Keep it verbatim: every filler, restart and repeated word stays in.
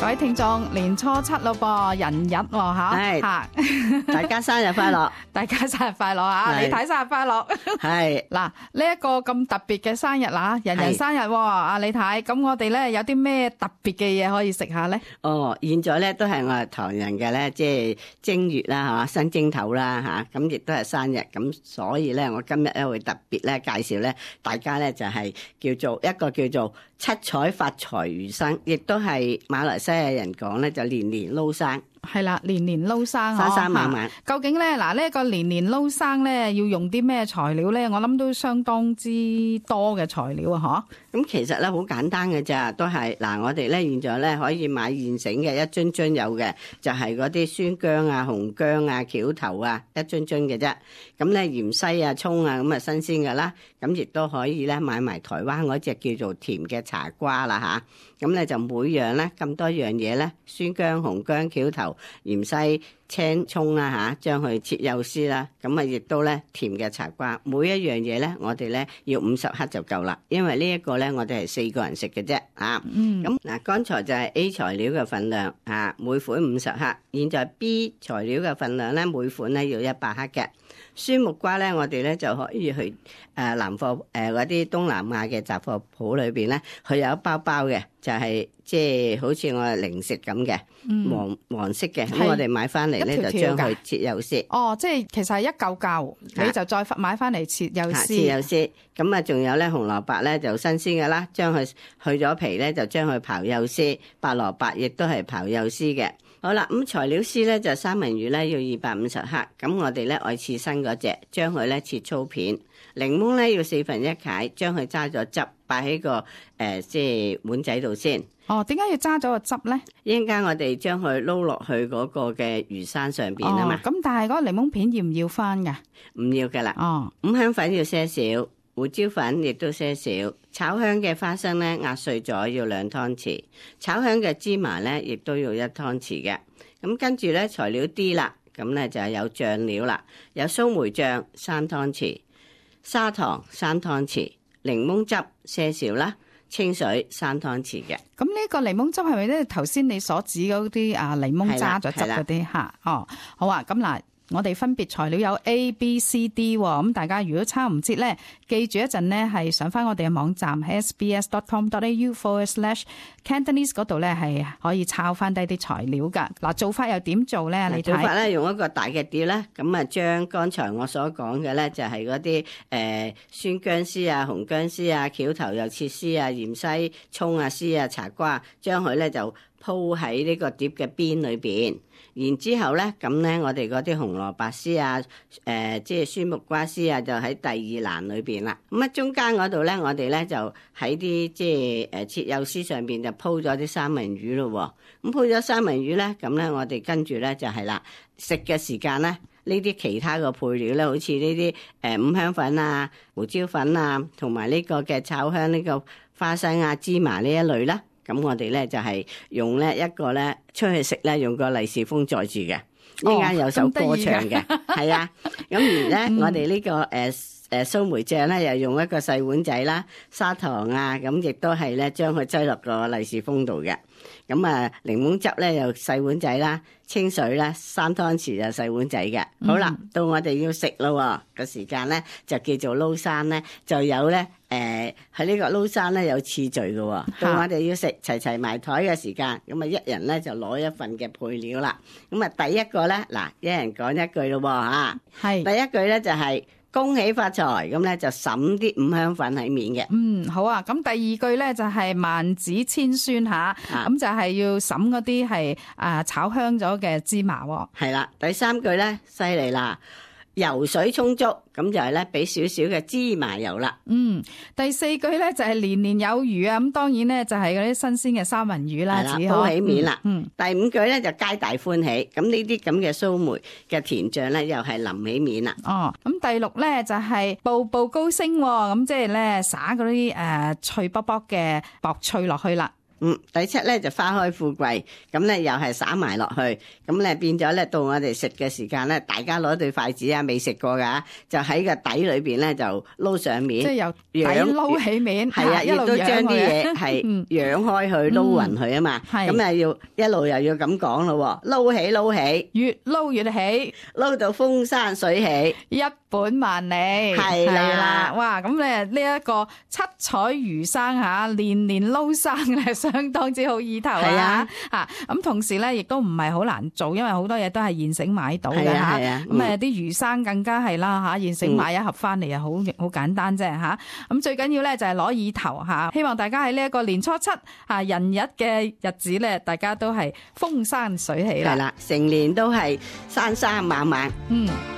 位聽眾，年初七咯噃，人日喎吓，吓，大家生日快樂，大家生日快樂啊！李太生日快樂，係嗱呢一個咁特別嘅生日啦，人人生日喎，阿李太，咁我哋咧有啲咩特別嘅嘢可以食下咧？哦，現在咧都係我哋唐人嘅咧，即係正月啦，吓新正頭啦，吓咁亦都係生日，咁所以咧我今日咧會特別咧介紹咧，大家咧就係叫做一個叫做七彩發財魚生，亦都係馬來西亞人講咧就年年撈生。係啦，年年撈生，生生猛猛。究竟咧嗱呢一個年年撈生咧要用啲咩材料咧？我諗都相當之多嘅材料啊！嗬。咁其實咧好簡單嘅咋，都係嗱我哋咧現在咧可以買現成嘅一樽樽有嘅，就係嗰啲酸薑啊、紅薑啊、橋頭啊一樽樽嘅啫。咁咧芫茜啊、蔥啊咁啊新鮮噶啦。咁亦都可以咧買埋台灣嗰隻叫做甜嘅茶瓜啦吓。咁咧就每樣咧咁多樣嘢咧，酸薑、紅薑、橋頭、芫茜、青蔥啦吓，將佢切幼絲啦。咁啊亦都咧甜嘅茶瓜，每一樣嘢咧我哋咧要五十克就夠啦，因為呢一個咧我哋係四個人食嘅啫啊。嗯。咁嗱，剛才就係 A 材料嘅份量啊，每款五十克。現在 B 材料嘅份量咧，每款咧要一百克嘅。酸木瓜咧，我哋咧就可以去誒南貨誒嗰啲東南亞嘅雜貨鋪裏邊咧，佢有一包包嘅，就係即係好似我哋零食咁嘅，黃黃色嘅，咁我哋買翻嚟咧就將佢切幼絲。哦，即係其實係一嚿嚿，你就再買翻嚟切幼絲。切幼絲，咁啊仲有咧紅蘿蔔咧就新鮮嘅啦，將佢去咗皮咧就將佢刨幼絲，白蘿蔔亦都係刨幼絲嘅。好啦，咁材料絲咧就三文魚咧要二百五十克，咁我哋咧愛刺身嗰隻，將佢咧切粗片。檸檬咧要四分一解，將佢揸咗汁，擺喺個誒即係碗仔度先。哦，點解要揸咗個汁咧？一陣間我哋將佢撈落去嗰個嘅魚生上邊啊嘛。咁、哦、但係嗰個檸檬片要唔要翻噶？唔要噶啦。哦，五香粉要些少，胡椒粉亦都些少，炒香嘅花生咧壓碎咗要兩湯匙，炒香嘅芝麻咧亦都要一湯匙嘅。咁跟住咧材料啲啦，咁咧就係有醬料啦，有蘇梅醬三湯匙，砂糖三湯匙，檸檬汁些少啦，清水三湯匙嘅。咁呢個檸檬汁係咪咧頭先你所指嗰啲啊檸檬揸咗汁嗰啲吓？哦，好啊，咁嗱。我哋分別材料有 A、B、C、D 喎，咁大家如果抄唔切咧，記住一陣呢係上翻我哋嘅網站 s b s dot com dot a u forward slash cantonese 嗰度咧係可以抄翻低啲材料噶。嗱，做法又點做咧？你睇做法咧，用一個大嘅碟咧，咁啊將剛才我所講嘅咧就係嗰啲誒酸薑絲啊、紅薑絲啊、橋頭又切絲啊、芫茜、蔥啊、絲啊、茶瓜，將佢咧就鋪喺呢個碟嘅邊裏邊。然之後咧，咁咧我哋嗰啲紅蘿蔔絲啊，誒、呃、即係酸木瓜絲啊，就喺第二欄裏邊啦。咁啊中間嗰度咧，我哋咧就喺啲即係誒切幼絲上邊就鋪咗啲三文魚咯。咁鋪咗三文魚咧，咁咧我哋跟住咧就係啦，食嘅時間咧，呢啲其他嘅配料咧，好似呢啲誒五香粉啊、胡椒粉啊，同埋呢個嘅炒香呢個花生啊、芝麻呢一類啦。咁我哋咧就係用咧一個咧出去食咧，用個利是封載住嘅，依家有首歌唱嘅，係啊。咁而咧，我哋呢個誒誒蘇梅醬咧，又用一個細碗仔啦，砂糖啊，咁亦都係咧將佢擠落個利是封度嘅。咁啊，檸檬汁咧又細碗仔啦，清水咧三湯匙就細碗仔嘅。好啦，到我哋要食咯個時間咧，就叫做撈生咧，就有咧誒喺呢個撈生咧有次序嘅。到我哋要食齊齊埋台嘅時間，咁啊一人咧就攞一份嘅配料啦。咁啊第一個咧嗱，一人講一句咯吓，係第一句咧就係、是。恭喜發財，咁咧就灑啲五香粉喺面嘅。嗯，好啊。咁第二句咧就係萬紫千酸吓，咁就係要灑嗰啲係啊炒香咗嘅芝麻。係啦，第三句咧犀利啦，油水充足，咁就係咧俾少少嘅芝麻油啦。嗯，第四句咧就係年年有餘啊，咁當然咧就係嗰啲新鮮嘅三文魚啦，鋪起面啦。嗯，第五句咧就皆大歡喜，咁呢啲咁嘅蘇梅嘅甜醬咧又係淋起面啦。哦，咁第六咧就係步步高升，咁即係咧灑嗰啲誒脆卜卜嘅薄脆落去啦。嗯，第七咧就花開富貴，咁咧又係灑埋落去，咁咧變咗咧到我哋食嘅時間咧，大家攞對筷子啊，未食過噶，就喺個底裏邊咧就撈上面，即係由底撈起面，係啊，亦都將啲嘢係揚開去撈勻佢啊嘛，咁啊要一路又要咁講咯，撈起撈起，越撈越起，撈到風生水起，一本萬利，係啦，哇！咁咧呢一個七彩魚生吓，年年撈生咧，相當之好意頭啊！吓咁同時咧，亦都唔係好難做，因為好多嘢都係現成買到嘅吓。咁誒，啲魚生更加係啦吓，現成買一盒翻嚟啊，好好簡單啫吓。咁最緊要咧就係攞意頭吓，希望大家喺呢一個年初七啊人日嘅日子咧，大家都係風生水起啦。係啦，成年都係生生猛猛。嗯。